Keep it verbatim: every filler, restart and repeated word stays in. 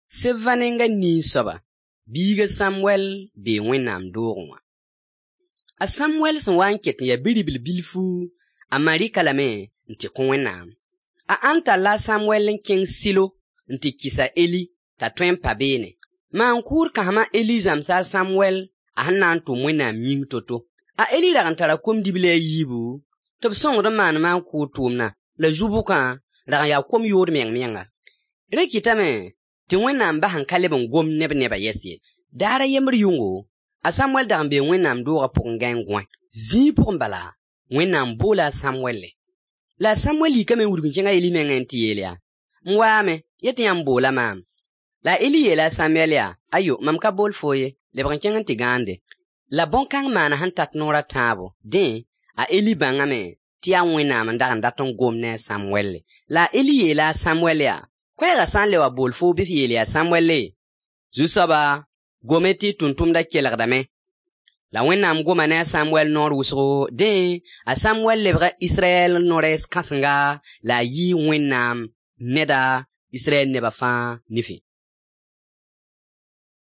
Sebva nenga nin soaba, biiga Samwɛl bee Wẽnnaam doogẽ wã. A Samwɛl sẽn wa n ket n ya bi-ribl bilfu, a ma rɩk-a lame n tɩ kõ Wẽnnaam. A Ãn talla a Samwɛl n kẽng Sɩlo n tɩ kɩs a Eli t'a tõe n pa beene. Maan-kʋʋd kãsem a Eli zãmsa a Samwɛl a sẽn na n tʋm Wẽnnaam yĩng to-to. A Eli rag n tara kom-dibli a yiibu tɩ b sõngd n maan maan-kʋʋd tʋʋmdã, la zu-bʋkã rag n yaa kom yood meng-menga. Rẽ kɩtame tɩ Wẽnnaam bas n ka leb n gom ne b nebã yɛs ye. Daar a yembr yʋngo, a Samwɛl dag n bee Wẽnnaam doogã pʋgẽ gãe n gõe. Zĩig pʋgẽ bala, Wẽnnaam boola a Samwɛlle. La a Samwɛl yikame n wudg n kẽng a Eli nengẽ n tɩ yeel yaa: M waame, yetɩ yãmb boola maam. La a Eli yeela a Samʋɛl yaa: Ayo, mam ka bool foo ye, lebg n kẽng n tɩ gãande. La bõn-kãng maana sẽn tat noor a tãabo. Dẽ, a Eli bãngame tɩ yaa Wẽnnaam n dag n dat n gom ne a Samʋɛlle. La a Eli yeela a Samʋɛl yaa: Koɛɛgã sã n le wa bool foo bɩ f yeel yaa Samʋɛlle: Zu-soaba, gome tɩ y tʋmtʋmdã kelgdame. La Wẽnnaam goma ne a Samʋɛl noor wʋsgo. Dẽ, a Samʋɛl lebga Israyɛl no-rɛɛs kãsenga la a yɩɩ Wẽnnaam neda Israyɛl nebã fãa nifẽ.